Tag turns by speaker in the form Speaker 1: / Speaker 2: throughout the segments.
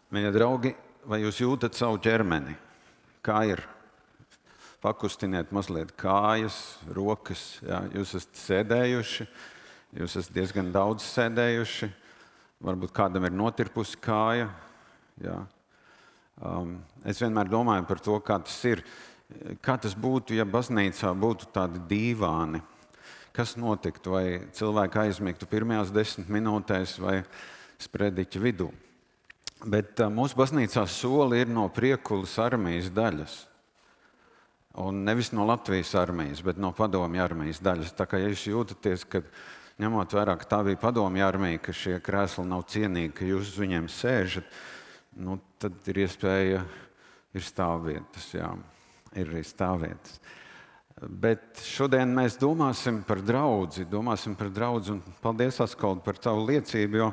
Speaker 1: Mīļie draugi, vai jūs jūtat savu ķermeni? Kā ir? Pakustiniet mazliet kājas, rokas. Jā. Jūs esat sēdējuši, jūs esat diezgan daudz sēdējuši. Varbūt kādam ir notirpusi kāja. Jā. Es vienmēr domāju par to, kā tas ir. Kā tas būtu, ja baznīcā būtu tādi dīvāni? Kas notiktu? Vai cilvēki aizmigtu pirmajās 10 minūtēs vai sprediķa vidū? Bet mūsu baznīcā soli ir no Priekulas armijas daļas. Un nevis no Latvijas armijas, bet no Padomju armijas daļas. Tā kā ja jūs jūtaties, ka ņemot vērā, ka tā bija Padomju armija, ka šie krēsli nav cienīgi, ka jūs uz viņiem sēžat, tad ir iespēja, ir stāvvietas, jā, ir arī stāvvietas. Bet šodien mēs domāsim par draudzi un paldies, Askold, par tavu liecību, jo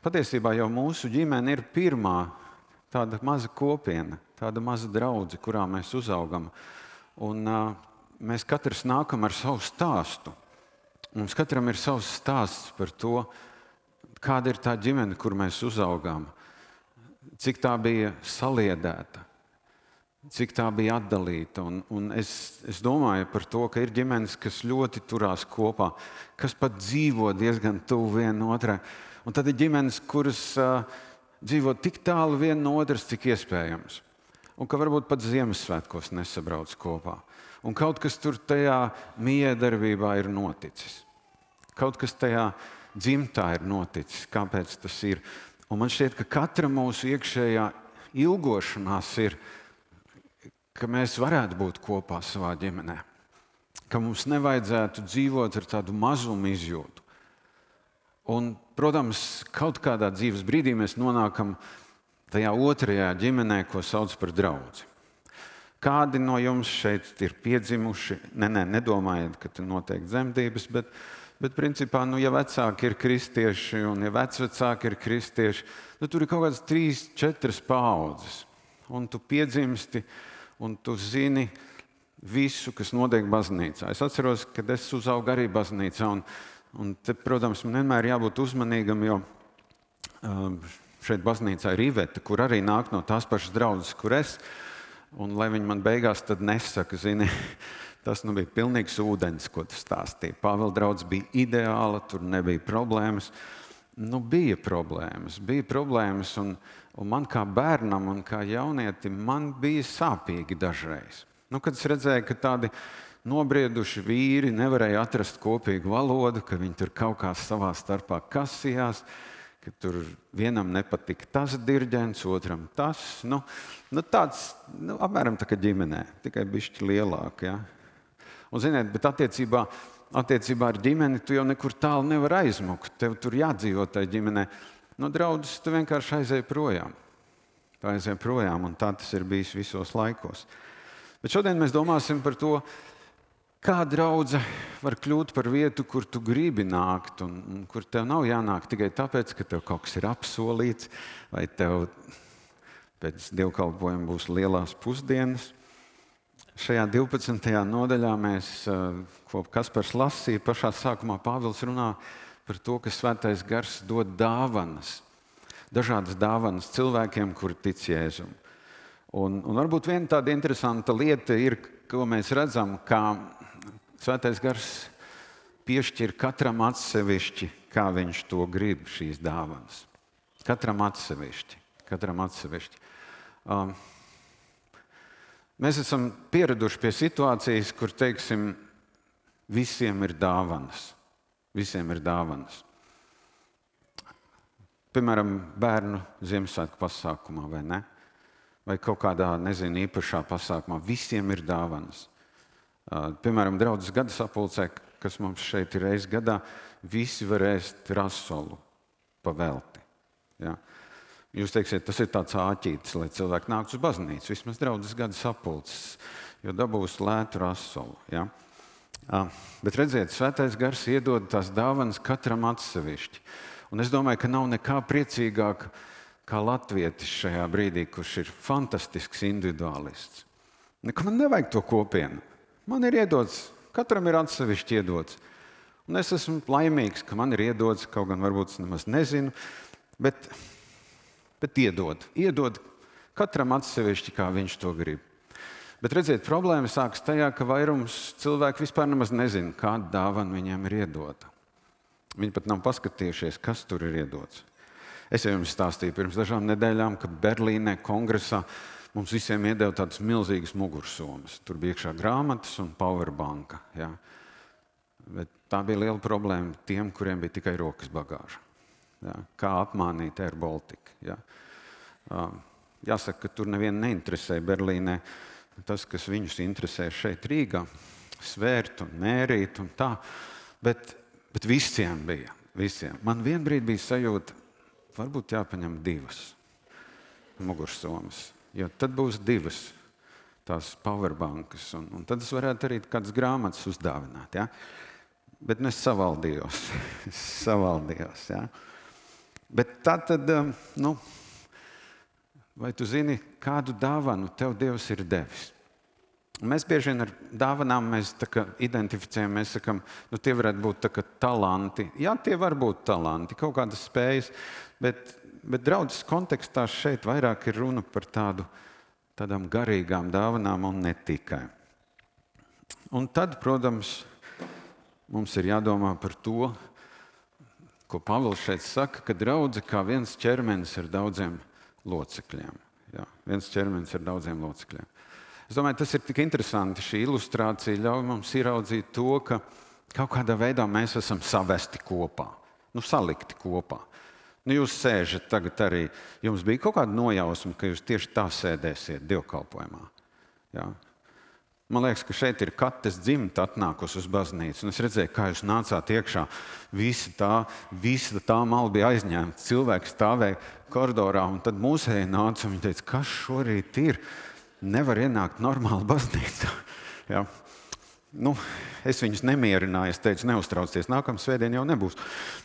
Speaker 1: patiesībā jau mūsu ģimene ir pirmā tāda maza kopiena, tāda maza draudze, kurā mēs uzaugam. Un mēs katrs nākam ar savu stāstu. Mums katram ir savs stāsts par to, kāda ir tā ģimene, kur mēs uzaugām, cik tā bija saliedēta, cik tā bija atdalīta. Un es domāju par to, ka ir ģimenes, kas ļoti turās kopā, kas pat dzīvo diezgan tuvu viena otrai. Un tad ir ģimenes, kuras dzīvo tik tālu viena no otras, cik iespējams. Un ka varbūt pat Ziemassvētkos nesabrauc kopā. Un kaut kas tur tajā miedarbībā ir noticis. Kaut kas tajā dzimtā ir noticis. Kāpēc tas ir? Un man šķiet, ka katra mūsu iekšējā ilgošanās ir, ka mēs varētu būt kopā savā ģimenē. Ka mums nevajadzētu dzīvot ar tādu mazumu izjūtu. Un, protams, kaut kādā dzīves brīdī mēs nonākam tajā otrajā ģimenē, ko sauc par draudzi. Kādi no jums šeit ir piedzimuši? Nedomājiet, ka tur notiek dzemdības, bet principā, ja vecāki ir kristieši un ja vecvecāki ir kristieši, tur ir kaut kādas 3-4 paaudzes. Un tu piedzimsti un tu zini visu, kas notiek baznīcā. Es atceros, kad es uzaugu arī baznīcā. Un te, protams, man vienmēr jābūt uzmanīgam, jo šeit baznīcā ir Iveta, kur arī nāk no tās pašas draudzes, kur es. Un lai viņi man beigās tad nesaka, zini, tas bija pilnīgs ūdens, ko tu stāstīji. Pāvela draudze bija ideāla, tur nebija problēmas. Bija problēmas, un man kā bērnam un kā jaunietim man bija sāpīgi dažreiz. Kad es redzēju, ka tādi nobrieduši vīri nevarēja atrast kopīgu valodu, ka viņi tur kaut kā savā starpā kasījās, ka tur vienam nepatika tas dirģents, otram tas. Tāds, apmēram tā kā ģimenē, tikai bišķi lielāk. Ja? Un, ziniet, bet attiecībā ar ģimeni tu jau nekur tālu nevar aizmukt. Tev tur jādzīvo tajā ģimenē. No draudzes tu vienkārši aizēji projām. Tu aizēji projām, un tā tas ir bijis visos laikos. Bet šodien mēs domāsim par to, kā draudze var kļūt par vietu, kur tu gribi nākt, un kur tev nav jānāk tikai tāpēc, ka tev kaut kas ir apsolīts, vai tev pēc dievkalpojuma būs lielās pusdienas. Šajā 12. nodaļā mēs, ko Kaspars lasīja, pašā sākumā Pāvils runā par to, ka Svētais Gars dod dāvanas, dažādas dāvanas cilvēkiem, kuri tic Jēzum. Un varbūt viena tāda interesanta lieta ir, ko mēs redzam, kā Svētais Gars piešķir katram atsevišķi, kā viņš to grib, šīs dāvanas. Katram atsevišķi. Mēs esam pieraduši pie situācijas, kur, teiksim, visiem ir dāvanas. Piemēram, bērnu Ziemassvētku pasākumā, vai ne? Vai kaut kādā, īpašā pasākumā. Visiem ir dāvanas. Piemēram, draudzes gada sapulcē, kas mums šeit ir reiz gadā, visi var ēst rasolu pa velti. Ja? Jūs teiksiet, tas ir tāds āķītis, lai cilvēki nāktu uz baznīcu, vismaz draudzes gada sapulces, jo dabūs lētu rasolu. Ja? Bet redziet, Svētais Gars iedod tās dāvanas katram atsevišķi. Un es domāju, ka nav nekā priecīgāk kā latvietis šajā brīdī, kurš ir fantastisks individuālists. Man nevajag to kopienu. Man ir iedots, katram ir atsevišķi iedots. Un es esmu laimīgs, ka man ir iedots, kaut gan varbūt es nemaz nezinu, bet Bet iedod katram atsevišķi, kā viņš to grib. Bet redziet, problēma sākas tajā, ka vairums cilvēku vispār nemaz nezina, kāda dāvana viņiem ir iedota. Viņi pat nav paskatījušies, kas tur ir iedots. Es jau jums stāstīju pirms dažām nedēļām, ka Berlīnē kongresā mums visiem iedeva tādas milzīgas mugursomas. Tur bija iekšā grāmatas un powerbanka. Ja? Bet tā bija liela problēma tiem, kuriem bija tikai rokas bagāža. Ja? Kā apmānīt Air Baltica. Ja? Jāsaka, ka tur nevienu neinteresē Berlīnē tas, kas viņus interesē šeit Rīgā, svērt un mērīt un tā. Bet visiem bija. Visiem. Man vienbrīd bija sajūta, varbūt jāpaņem 2 mugursomas. Jo tad būs 2 tās powerbankas. Un tad es varētu arī kādas grāmatas uzdāvināt. Ja? Bet es savaldījos. Ja? Bet tā tad, vai tu zini, kādu dāvanu tev Dievs ir devis? Mēs bieži vien ar dāvanām identificējam, mēs sakam, tie varētu būt talanti. Jā, tie var būt talanti, kaut kādas spējas, bet draudzes kontekstā šeit vairāk ir runa par tādām garīgām dāvanām un ne tikai. Un tad, protams, mums ir jādomā par to, ko Pāvils šeit saka, ka draudze kā viens ķermenis ar daudziem locekļiem. Jā, viens ķermenis ar daudziem locekļiem. Es domāju, tas ir tik interesanti. Šī ilustrācija ļauj mums ieraudzīt to, ka kaut kādā veidā mēs esam savesti kopā, salikti kopā. Jūs sēžat tagad arī, jums bija kaut kāda nojausma, ka jūs tieši tā sēdēsiet dievkalpojumā. Jā. Man liekas, ka šeit ir Kates dzimta atnākusi uz baznīcu. Un es redzēju, kā jūs nācāt iekšā. Visa tā mala bija aizņemta. Cilvēki stāvēja koridorā, un tad mūsēji nāca un viņi teica, kas šorīt ir? Nevar ienākt normāli baznīcā. Ja? Es viņus nemierināju, es teicu, neuztraucieties, nākamā svētdien jau nebūs.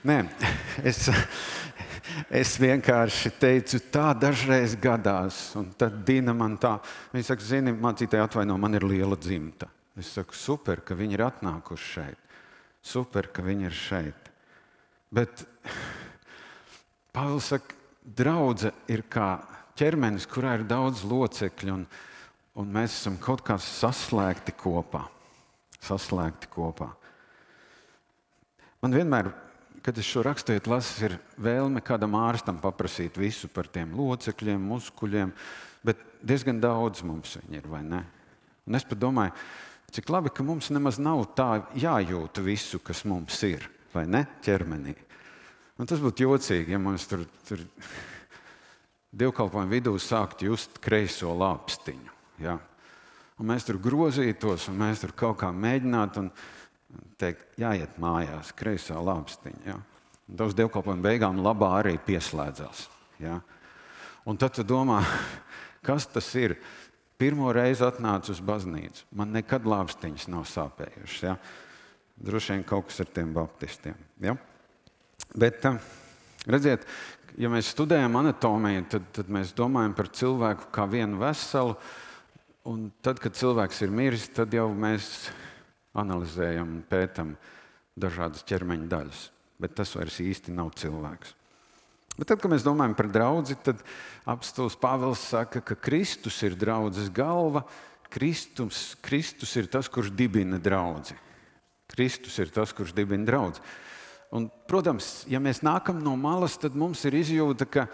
Speaker 1: Nē, es vienkārši teicu, tā dažreiz gadās. Un tad Dina man tā, viņa saka, zini, mācītāji atvaino, man ir liela dzimta. Es saku, super, ka viņi ir atnākuši šeit. Super, ka viņi ir šeit. Bet Pāvils saka, draudze ir kā ķermenis, kurā ir daudz locekļu, un mēs esam kaut kā saslēgti kopā. Man vienmēr, kad es šo raksturiet lasu, ir vēlme kādam ārstam paprasīt visu par tiem locekļiem, muskuļiem, bet diezgan daudz mums viņi ir, vai ne? Un es pat domāju, cik labi, ka mums nemaz nav tā jājūt visu, kas mums ir, vai ne, ķermenī. Un tas būtu jocīgi, ja mums tur dievkalpojumu vidū sākt just kreiso lāpstiņu. Ja? Un mēs tur grozītos, un mēs tur kaut kā mēģinātu un teikt, jāiet mājās, kreisā lāpstiņa. Ja? Un uz dievkalpojumu beigām labā arī pieslēdzās. Ja? Un tad tu domā, kas tas ir? Pirmo reizi atnācu uz baznīcu. Man nekad lāpstiņas nav sāpējušas. Ja? Droši vien kaut kas ar tiem baptistiem. Ja? Bet, redziet, ja mēs studējam anatomiju, tad mēs domājam par cilvēku kā vienu veselu, un tad, kad cilvēks ir miris, tad jau mēs analizējam un pētam dažādas ķermeņa daļas. Bet tas vairs īsti nav cilvēks. Bet tad, kad mēs domājam par draudzi, tad apostols Pāvils saka, ka Kristus ir draudzes galva, Kristus ir tas, kurš dibina draudzi. Kristus ir tas, kurš dibina draudzi. Un, protams, ja mēs nākam no malas, tad mums ir izjūta, ka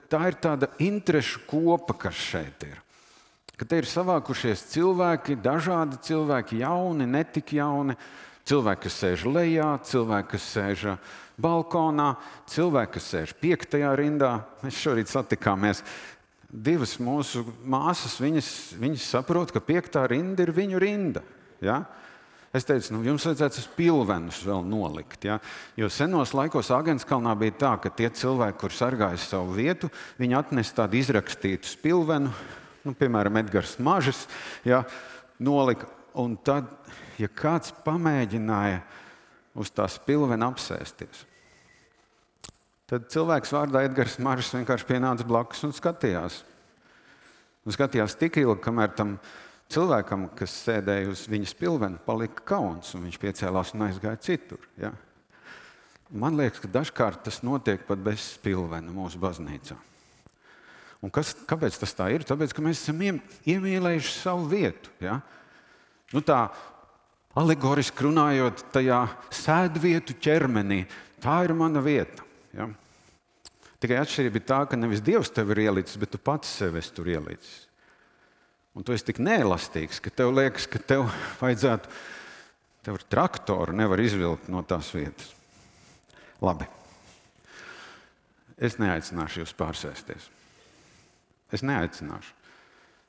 Speaker 1: tā ir tāda interešu kopa, kas šeit ir. Ka te ir savākušies cilvēki, dažādi cilvēki, jauni, netik jauni, cilvēki, kas sēž lejā, cilvēki, kas sēž balkonā, cilvēki, kas sēž 5. rindā. Mēs šorīt satikāmies 2 mūsu māsas, viņas saprot, ka 5. rinda ir viņu rinda. Ja? Es teicu, jums vajadzētu uz pilvenus vēl nolikt. Ja? Jo senos laikos Āgenskalnā bija tā, ka tie cilvēki, kur sargāja savu vietu, viņi atnes tādu izrakstītu pilvenu, piemēram, Edgars Mažis, ja, nolika. Un tad, ja kāds pamēģināja uz tās pilvena apsēsties, tad cilvēks vārdā Edgars Mažis vienkārši pienāca blakus un skatījās. Un skatījās tik ilgi, kamēr tam cilvēkam, kas sēdēja uz viņas pilvena, palika kauns, un viņš piecēlās un aizgāja citur. Ja? Man liekas, ka dažkārt tas notiek pat bez pilvena mūsu baznīcā. Un kāpēc tas tā ir? Tāpēc, ka mēs esam iemīlējuši savu vietu. Ja? Nu tā alegoriski runājot, tajā sēdvietu ķermenī, tā ir mana vieta. Ja? Tikai atšķirība ir tā, ka nevis Dievs tev ir ielicis, bet tu pats sev esi tur ielicis. Un tu esi tik neelastīgs, ka tev liekas, ka tev vajadzētu, tev ar traktoru nevar izvilkt no tās vietas. Labi. Es neaicināšu jūs pārsēsties. Es neaicināšu.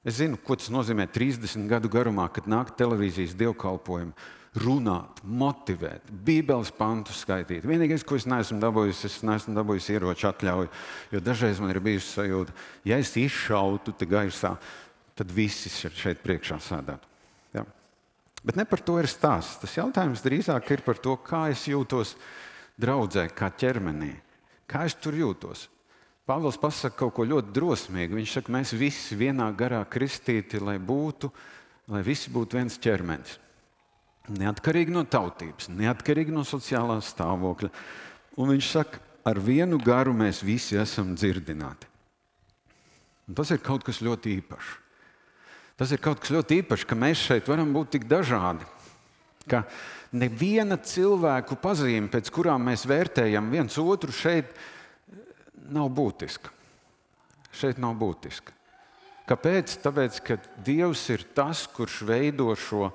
Speaker 1: Es zinu, ko tas nozīmē 30 gadu garumā, kad nāk televīzijas dievkalpojumi, runāt, motivēt, Bībeles pantus skaitīt. Vienīgais, ko es neesmu dabūjis ieroču atļauju, jo dažreiz man ir bijusi sajūta, ja es izšautu te gaisā, tad visi šeit priekšā sēdētu. Ja? Bet ne par to ir stāsts. Tas jautājums drīzāk ir par to, kā es jūtos draudzē, kā ķermenī. Kā es tur jūtos? Pāvils pasaka kaut ko ļoti drosmīgu. Viņš saka, mēs visi vienā garā kristīti, lai visi būtu viens ķermenis. Neatkarīgi no tautības, neatkarīgi no sociālā stāvokļa. Un viņš saka, ar vienu garu mēs visi esam dzirdināti. Un tas ir kaut kas ļoti īpašs. Tas ir kaut kas ļoti īpašs, ka mēs šeit varam būt tik dažādi. Ka neviena cilvēku pazīme, pēc kurām mēs vērtējam viens otru, šeit nav būtiska. Šeit nav būtiska. Kāpēc? Tāpēc, ka Dievs ir tas, kurš veido šo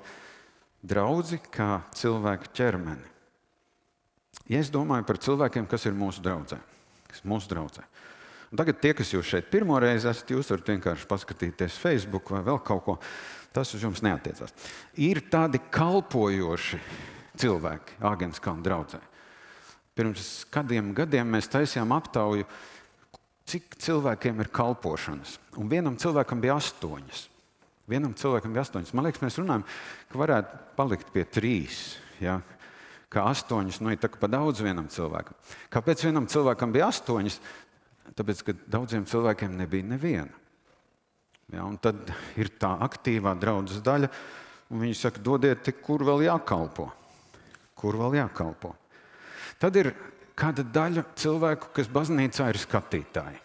Speaker 1: draudzi kā cilvēku ķermeni. Ja es domāju par cilvēkiem, kas ir mūsu draudzē. Un tagad tie, kas jūs šeit pirmo reizi esat, jūs varat vienkārši paskatīties Facebook vai vēl kaut ko. Tas uz jums neatiecās. Ir tādi kalpojoši cilvēki Āgenskalna draudzē. Pirms kādiem gadiem mēs taisījām aptauju, cik cilvēkiem ir kalpošanas. Un vienam cilvēkam bija 8. Man liekas, mēs runājam, ka varētu palikt pie 3. Ja? Ka 8, ir tā pa daudz vienam cilvēkam. Kāpēc vienam cilvēkam bija 8? Tāpēc, ka daudziem cilvēkiem nebija neviena. Ja, un tad ir tā aktīvā draudzes daļa, un viņi saka, dodiet, kur vēl jākalpo. Tad ir kāda daļa cilvēku, kas baznīcā ir skatītāji.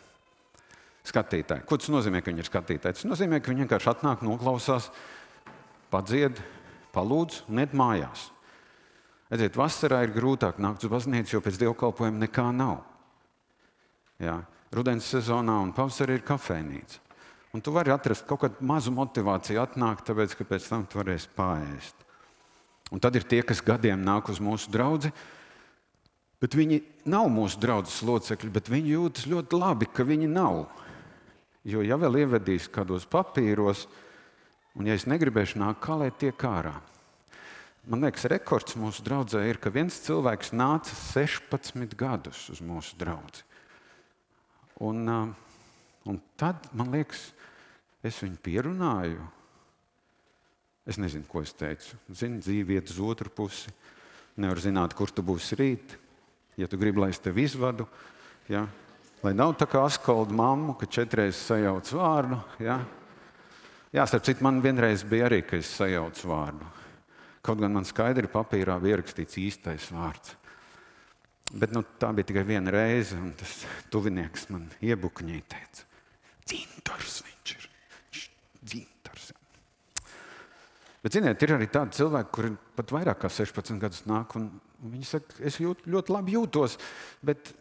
Speaker 1: Ko tas nozīmē, ka viņi ir skatītāji? Tas nozīmē, ka viņi vienkārši atnāk, noklausās, padzied, palūdz un iet mājās. Redziet, vasarā ir grūtāk nākt uz baznīcu, jo pēc dievkalpojuma nekā nav. Ja, rudens sezonā un pavasarī ir kafejnīca. Un tu vari atrast kaut kādu mazu motivāciju atnākt, tāpēc, ka pēc tam tu varēsi paēst. Un tad ir tie, kas gadiem nāk uz mūsu draudzi, bet viņi nav mūsu draudzes locekļi, bet viņi jūtas ļoti labi, ka viņi nav. Jo ja vēl ievedīs kādos papīros, un ja es negribēšu nākt, kā lai tiek ārā. Man liekas, rekords mūsu draudzē ir, ka viens cilvēks nāca 16 gadus uz mūsu draudzi. Un tad, man liekas, es viņu pierunāju. Es nezinu, ko es teicu. Zini, dzīve iet uz otru pusi. Nevar zināt, kur tu būsi rīt. Ja tu gribi, lai es tevi izvadu, ja? Lai nav tā kā Askolda mammu, ka 4 reizes sajauc vārdu. Ja? Jā, starp citu, man vienreiz bija arī, ka es sajaucu vārdu. Kaut gan man skaidri papīrā bija ierakstīts īstais vārds. Bet tā bija tikai viena reize, un tas tuvinieks man iebukņīja teica, Dzintars viņš ir. Dzintars. Bet, ziniet, ir arī tādi cilvēki, kuri pat vairāk kā 16 gadus nāk, un viņi saka, es ļoti labi jūtos, bet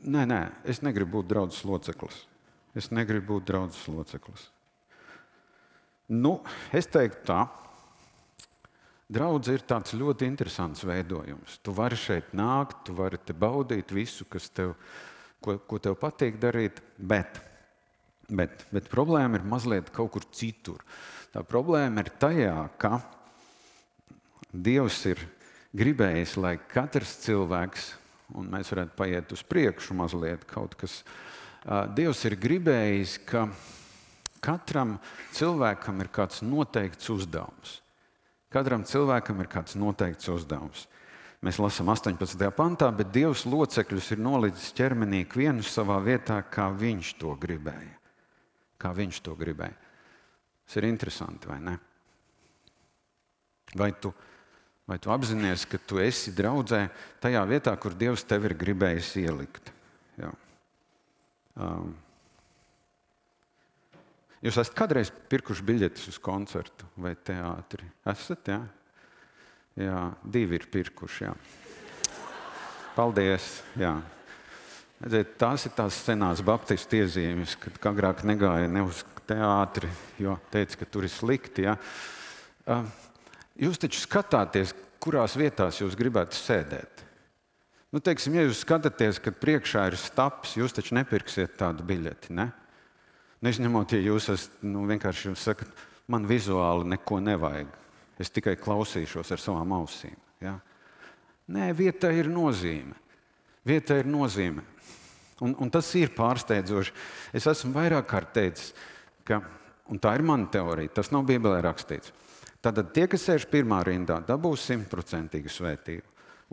Speaker 1: nē, es negribu būt draudzes loceklis. Es teiktu tā. Draudze ir tāds ļoti interesants veidojums. Tu vari šeit nākt, tu vari te baudīt visu, ko tev patīk darīt, bet problēma ir mazliet kaut kur citur. Tā problēma ir tajā, ka Dievs ir gribējis, lai katrs cilvēks, un mēs varētu paiet uz priekšu mazliet kaut kas, Dievs ir gribējis, ka katram cilvēkam ir kāds noteikts uzdevums. Mēs lasām 18. pantā, bet Dievs locekļus ir nolicis ķermenī ikvienu savā vietā, kā viņš to gribēja. Tas ir interesanti, vai ne? Vai tu apzinies, ka tu esi draudzē tajā vietā, kur Dievs tevi ir gribējis ielikt? Jā. Jūs esat kādreiz pirkuši biļetes uz koncertu vai teātri? Esat, jā? Jā, 2 ir pirkuši, jā. Paldies, jā. Tās ir tās senās baptistu iezīmes, kad agrāk negāja ne uz teātri, jo teica, ka tur ir slikti. Ja? Jūs taču skatāties, kurās vietās jūs gribētu sēdēt. Nu, teiksim, ja jūs skatāties, kad priekšā ir staps, jūs taču nepirksiet tādu biļeti, ne? Neizņemot, ja jūs esat, vienkārši jums sakat, man vizuāli neko nevajag. Es tikai klausīšos ar savām ausīm. Ja? Nē, vietā ir nozīme. Vietā ir nozīme. Un tas ir pārsteidzoši. Es esmu vairāk kārt teicis, un tā ir mana teorija, tas nav Bībelē rakstīts. Tātad tie, kas sēž pirmā rindā, dabūs 100% svētību.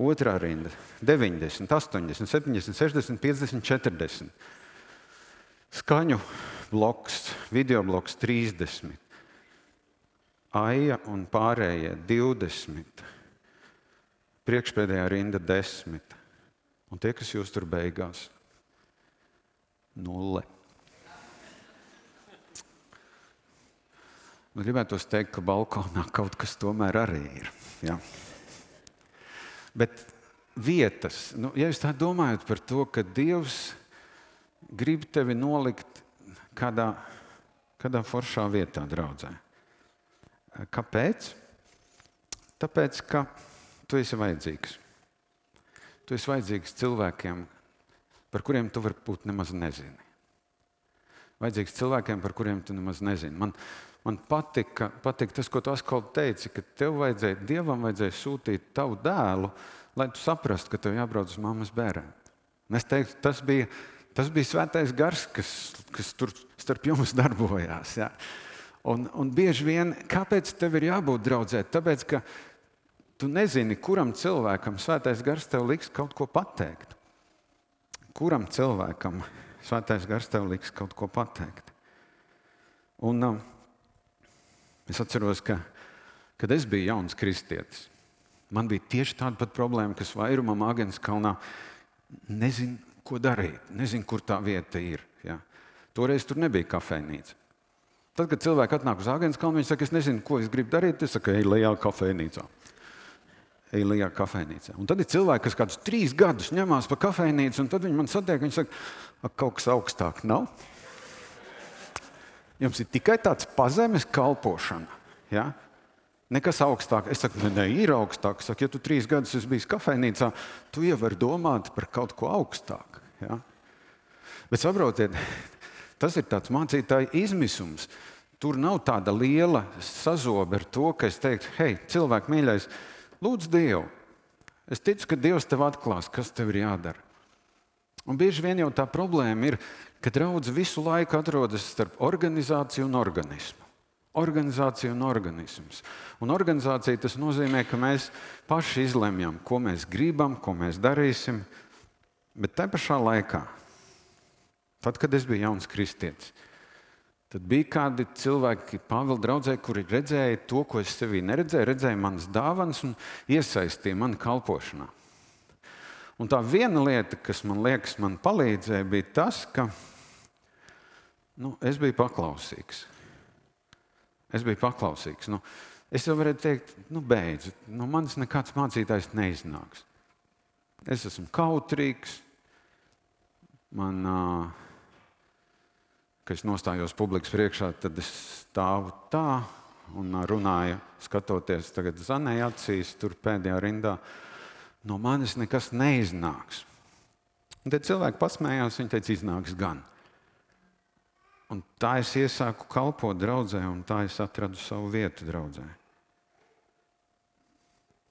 Speaker 1: Otrā rinda 90, 80, 70, 60, 50, 40. Skaņu bloks, video bloks 30. Aija un pārējie 20. Priekšpēdējā rinda 10. Un tie, kas jūs tur beigās, 0. Gribētu teikt, ka balkonā kaut kas tomēr arī ir. Ja? Bet vietas, ja jūs tā domājat par to, ka Dievs grib tevi nolikt kādā foršā vietā, draudzē. Kāpēc? Tāpēc, ka tu esi vajadzīgs. Tu esi vajadzīgs cilvēkiem, par kuriem tu varbūt nemaz nezini. Vajadzīgs cilvēkiem, par kuriem tu nemaz nezini. Man patika tas, ko tu atkal teici, ka Dievam vajadzēja sūtīt tavu dēlu, lai tu saprastu, ka tev jābrauc uz mammas bērēm. Es teiktu, tas bija svētais gars, kas tur starp jums darbojās. Ja? Un bieži vien, kāpēc tev ir jābūt draudzē? Tāpēc, ka tu nezini, kuram cilvēkam svētais gars tev liks kaut ko pateikt. Kuram cilvēkam svētais gars tev liks kaut ko pateikt. Un es atceros, kad es biju jauns kristietis, man bija tieši tāda pat problēma, kas vairumam Āgenskalnā nezinu, ko darīt, nezinu, kur tā vieta ir. Ja. Toreiz tur nebija kafejnīca. Tad, kad cilvēki atnāk uz Āgenskalnu, viņi saka, es nezinu, ko es gribu darīt, es saku, ej lejā kafejnīcā. Un tad ir cilvēki, kas kādus 3 gadus ņemās pa kafejnīcu, un tad viņi man satiek, viņi saka, kaut kas augstāk nav. Jums ir tikai tāds pazemes kalpošana. Ja? Nekas augstāk. Es saku, ne, ir augstāk. Es saku, ja tu 3 gadus esi bijis kafejnīcā, tu jau vari domāt par kaut ko augstāk. Ja? Bet saprotiet, tas ir tāds mācītāja izmisums. Tur nav tāda liela sazobe ar to, ka es teiktu, hei, cilvēku mīļais, lūdzu Dievu. Es ticu, ka Dievs tev atklās, kas tev ir jādara. Un bieži vien jau tā problēma ir, ka draudze visu laiku atrodas starp organizāciju un organismu. Organizācija un organisms. Un organizācija tas nozīmē, ka mēs paši izlemjam, ko mēs gribam, ko mēs darīsim. Bet te pašā laikā, tad, kad es biju jauns kristietis, tad bija kādi cilvēki Pāvila draudzē, kuri redzēja to, ko es sevī neredzēju, redzēja manas dāvanas un iesaistīja mani kalpošanā. Un tā viena lieta, kas man liekas, man palīdzēja, bija tas, ka es biju paklausīgs. Es jau varētu teikt, beidz, manis nekāds mācītājs neiznāks. Es esmu kautrīgs, kad es nostājos publikas priekšā, tad es stāvu tā un runāju, skatoties tagad Zanei acīs, tur pēdējā rindā. No manis nekas neiznāks. Un tad cilvēki pasmējās, viņi teica, iznāks gan. Un tā es iesāku kalpot draudzē, un tā es atradu savu vietu draudzē.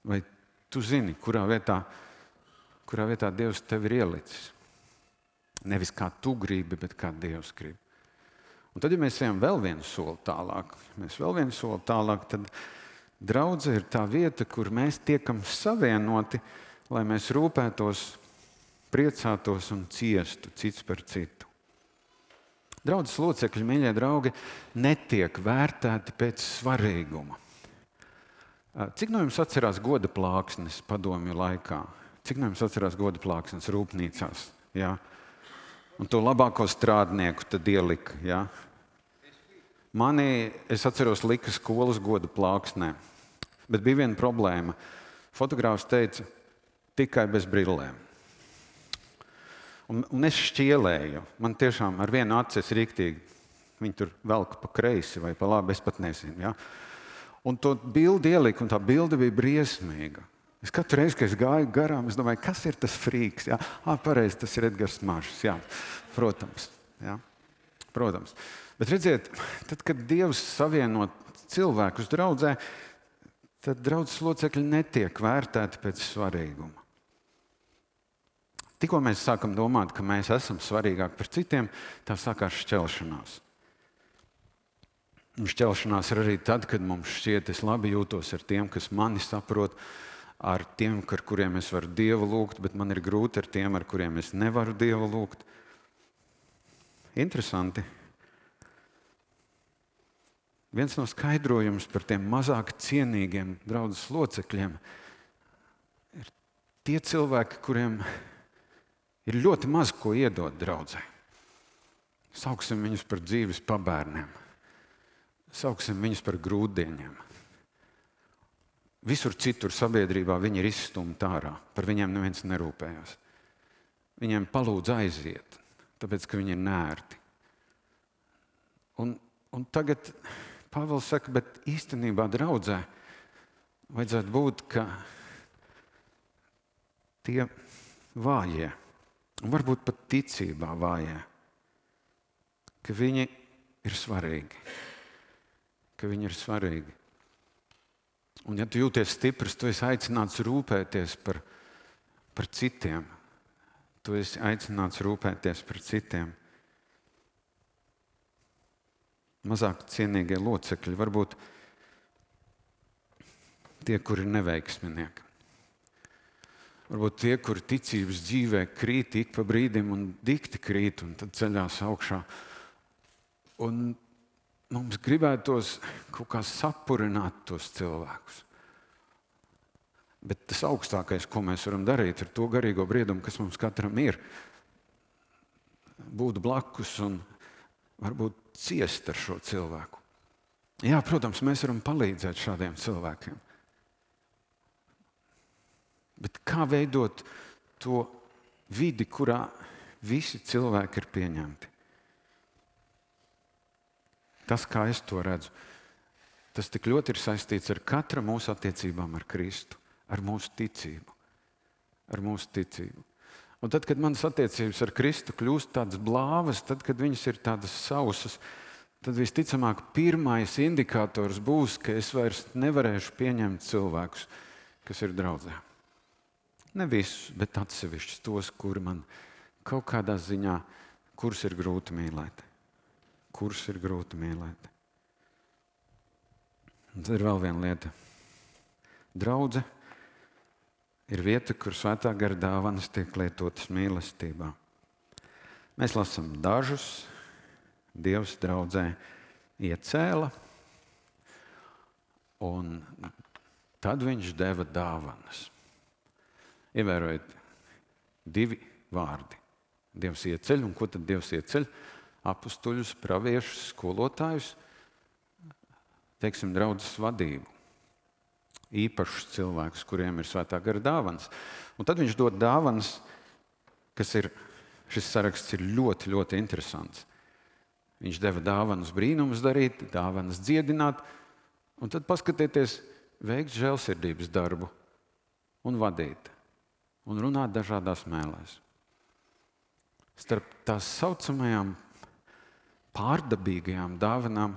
Speaker 1: Vai tu zini, kurā vietā Dievs tevi ir ielicis? Nevis kā tu gribi, bet kā Dievs grib. Un tad, ja mēs ejam vēl vienu soli tālāk, tad draudze ir tā vieta, kur mēs tiekam savienoti, lai mēs rūpētos, priecātos un ciestu cits par citu. Draudzes locekļi, mīļie draugi, netiek vērtēti pēc svarīguma. Cik no jums atcerās goda plāksnes padomju laikā? Cik no jums atcerās goda plāksnes rūpnīcās? Ja? Un to labāko strādnieku tad ielika. Ja? Es atceros, lika skolas goda plāksnē. Bet bija viena problēma. Fotogrāfs teica, tikai bez brillēm. Un es šķielēju. Man tiešām ar vienu aci es riktīgi. Viņi tur velk pa kreisi vai pa labi, es pat nezinu. Ja? Un to bildi ielika, un tā bilde bija briesmīga. Es katru reizi, kad es gāju garām, es domāju, kas ir tas frīks? Ja? Pareizi, tas ir Edgars Mažs. Jā, protams. Ja? Protams. Bet redziet, tad, kad Dievs savieno cilvēkus draudzē, tad draudzes locekļi netiek vērtēti pēc svarīguma. Tikko mēs sākam domāt, ka mēs esam svarīgāki par citiem, tā sākās šķelšanās. Un šķelšanās ir arī tad, kad mums šķiet, es labi jūtos ar tiem, kas mani saprot, ar tiem, ar kuriem es varu Dievu lūgt, bet man ir grūti ar tiem, ar kuriem es nevaru Dievu lūgt. Interesanti. Viens no skaidrojums par tiem mazāk cienīgiem draudzes locekļiem ir tie cilvēki, kuriem ir ļoti maz ko iedot draudzē. Sauksim viņus par dzīves pabērniem. Sauksim viņus par grūtdieņiem. Visur citur sabiedrībā viņi ir izstumti ārā. Par viņiem neviens nerūpējās. Viņiem palūdz aiziet, tāpēc, ka viņi ir nērti. Un tagad Pāvils saka, bet īstenībā draudzē vajadzētu būt, ka tie vājie, un varbūt pat ticībā vājie, ka viņi ir svarīgi. Ka viņi ir svarīgi. Un ja tu jūties stiprs, tu esi aicināts rūpēties par citiem. Tu esi aicināts rūpēties par citiem. Mazāk cienīgie locekļi, varbūt tie, kuri ir neveiksminieki. Varbūt tie, kuri ticības dzīvē krīt ik pa brīdim un dikti krīt un tad ceļās augšā. Un mums gribētos kaut kā sapurināt tos cilvēkus. Bet tas augstākais, ko mēs varam darīt ar to garīgo briedumu, kas mums katram ir, būt blakus un varbūt ciest ar šo cilvēku. Jā, protams, mēs varam palīdzēt šādiem cilvēkiem. Bet kā veidot to vidi, kurā visi cilvēki ir pieņemti? Tas, kā es to redzu, tas tik ļoti ir saistīts ar katra mūsu attiecībām ar Kristu, ar mūsu ticību. Ar mūsu ticību. Un tad, kad manas attiecības ar Kristu kļūst tādas blāvas, tad, kad viņas ir tādas sausas, tad visticamāk pirmais indikators būs, ka es vairs nevarēšu pieņemt cilvēkus, kas ir draudzē. Ne visus, bet atsevišķus tos, kuri man kaut kādā ziņā, kurus ir grūti mīlēt. Kurus ir grūti mīlēt. Un tad ir vēl viena lieta. Draudze ir vieta, kur svētā gara dāvanas tiek lietotas mīlestībā. Mēs lasām dažus, Dievs draudzē iecēla, un tad viņš deva dāvanas. Ievērojiet, divi vārdi. Dievs ieceļ, un ko tad Dievs ieceļ? Apustuļus, praviešus, skolotājus, teiksim, draudzes vadību. Īpašus cilvēkus, kuriem ir svētā gara dāvanas. Un tad viņš dod dāvanas, šis saraksts ir ļoti, ļoti interesants. Viņš deva dāvanas brīnumus darīt, dāvanas dziedināt, un tad paskatieties, veikt žēlsirdības darbu un vadīt, un runāt dažādās mēlēs. Starp tās saucamajām pārdabīgajām dāvanām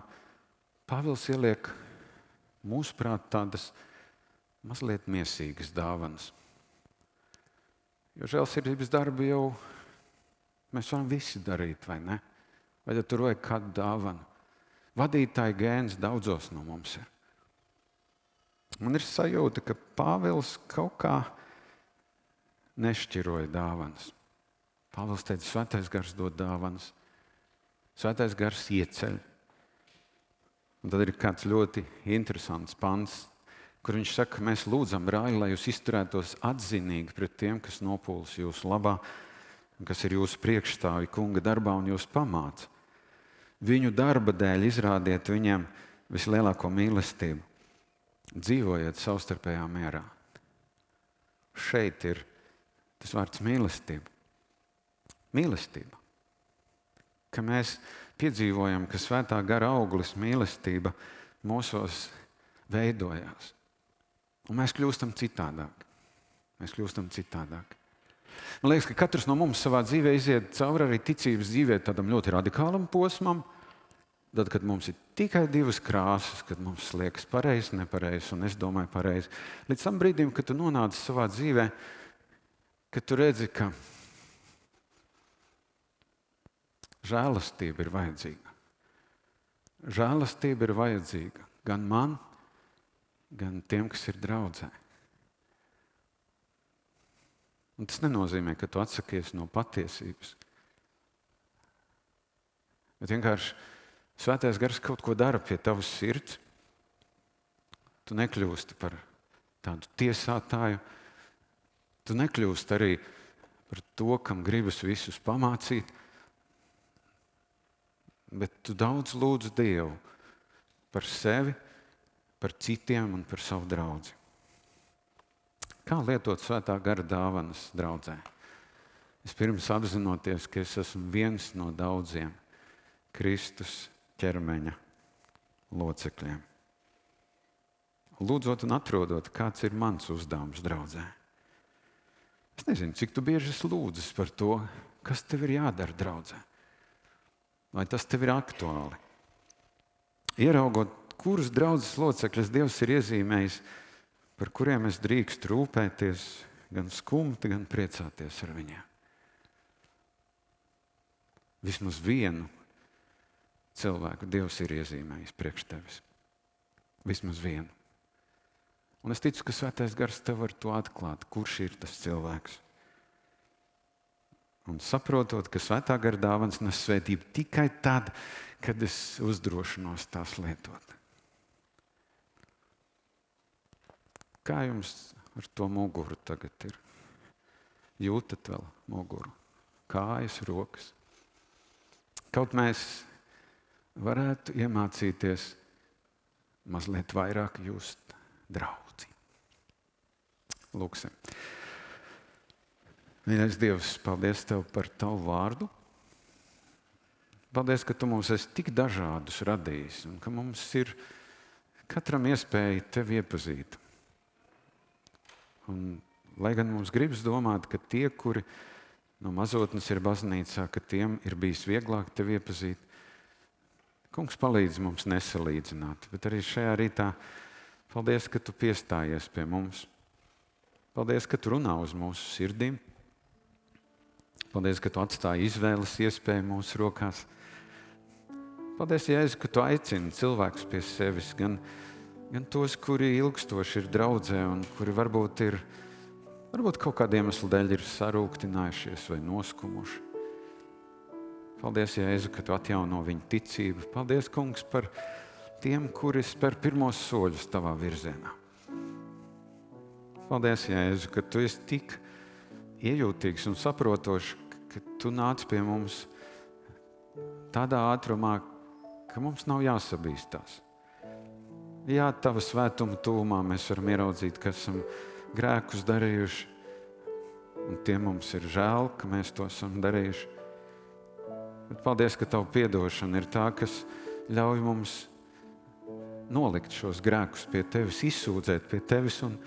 Speaker 1: Pāvils ieliek mūsuprāt tādas mazliet miesīgas dāvanas. Jo žēlsirdības darbu jau mēs varam visi darīt, vai ne? Vai tad tur vajag kādu dāvanu? Vadītāja gēns daudzos no mums ir. Man ir sajūta, ka Pāvils kaut kā nešķiroja dāvanas. Pāvils teica, svētais gars dod dāvanas. Svētais gars ieceļ. Un tad ir kāds ļoti interesants pants, kur viņš saka, ka mēs lūdzam, brāļi, lai jūs izturētos atzinīgi pret tiem, kas nopūlas jūsu labā, kas ir jūsu priekšstāvi kunga darbā un jūs pamāca. Viņu darba dēļ izrādiet viņiem vislielāko mīlestību. Dzīvojiet savstarpējā mierā. Šeit ir tas vārds mīlestība. Mīlestība. Ka mēs piedzīvojam, ka svētā gara auglis mīlestība mūsos veidojās. Un mēs kļūstam citādāk. Man liekas, ka katrs no mums savā dzīvē iziet cauri arī ticības dzīvē tādam ļoti radikālam posmam. Tad, kad mums ir tikai divas krāsas, kad mums liekas pareizi, nepareizi, un es domāju pareizi. Līdz tam brīdim, kad tu nonāc savā dzīvē, kad tu redzi, ka žēlastība ir vajadzīga. Žēlastība ir vajadzīga gan man, gan tiem, kas ir draudzē. Un tas nenozīmē, ka tu atsakies no patiesības. Bet vienkārši Svētais Gars kaut ko dara pie tavas sirds. Tu nekļūsti par tādu tiesātāju. Tu nekļūsti arī par to, kam gribas visus pamācīt. Bet tu daudz lūdz Dievu par sevi, par citiem un par savu draudzi. Kā lietot Svētā Gara dāvanas draudzē? Vispirms apzinoties, ka es esmu viens no daudziem Kristus ķermeņa locekļiem. Lūdzot un atrodot, kāds ir mans uzdevums draudzē. Es nezinu, cik tu bieži esi lūdzis par to, kas tev ir jādara draudzē. Vai tas tev ir aktuāli? Ieraugot, kurus draudzes locekļus Dievs ir iezīmējis, par kuriem es drīkstu rūpēties, gan skumt, gan priecāties ar viņiem. Vismaz vienu cilvēku Dievs ir iezīmējis priekš tevis. Vismaz vienu. Un es ticu, ka Svētais Gars tev var to atklāt, kurš ir tas cilvēks. Un saprotot, ka Svētā Gara dāvanas nes svētību tikai tad, kad es uzdrošinos tās lietot. Kā jums ar to muguru tagad ir? Jūtat vēl muguru? Kājas, rokas? Kaut mēs varētu iemācīties mazliet vairāk just draudzi. Lūksim. Mīļais Dievs, paldies Tev par Tavu vārdu. Paldies, ka Tu mums esi tik dažādus radījis un ka mums ir katram iespēja Tevi iepazīt. Un, lai gan mums gribas domāt, ka tie, kuri no mazotnes ir baznīcā, ka tiem ir bijis vieglāk Tevi iepazīt, Kungs, palīdz mums nesalīdzināt, bet arī šajā rītā paldies, ka Tu piestājies pie mums. Paldies, ka Tu runā uz mūsu sirdīm. Paldies, ka Tu atstāji izvēles iespēju mūsu rokās. Paldies, Jēzu, ka Tu aicini cilvēkus pie sevis, gan tos, kuri ilgstoši ir draudzē un kuri varbūt kaut kādiem iemeslu dēļ ir sarūktinājušies vai noskumuši. Paldies, Jēzu, ka Tu atjauno viņu ticību. Paldies, Kungs, par tiem, kuri spēr pirmos soļus Tavā virzienā. Paldies, Jēzu, ka Tu esi tik iejūtīgs un saprotošs, ka Tu nāc pie mums tādā ātrumā, ka mums nav jāsabīstās. Jā, Tava svētuma tuvumā mēs varam ieraudzīt, ka esam grēkus darījuši, un tie mums ir žēl, ka mēs to esam darījuši. Bet paldies, ka Tava piedošana ir tā, kas ļauj mums nolikt šos grēkus pie Tevis, izsūdzēt pie Tevis un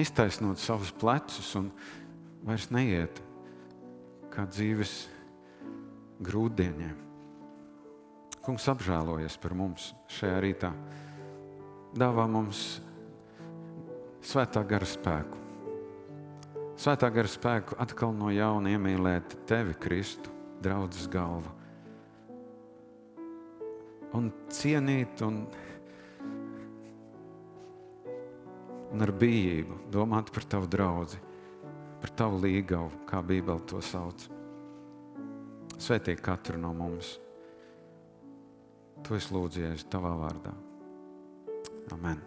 Speaker 1: iztaisnot savus plecus un vairs neiet kā dzīves grūtdieniem. Kungs, apžēlojies par mums šajā rītā. Dāvā mums Svētā Gara spēku. Svētā Gara spēku atkal no jauna iemīlēt Tevi, Kristu, draudzes galva. Un cienīt un ar bijību domāt par Tavu draudzi, par Tavu līgavu, kā Bībele to sauc. Svētī katru no mums. To es lūdzu, Jēzu, Tavā vārdā. Amen.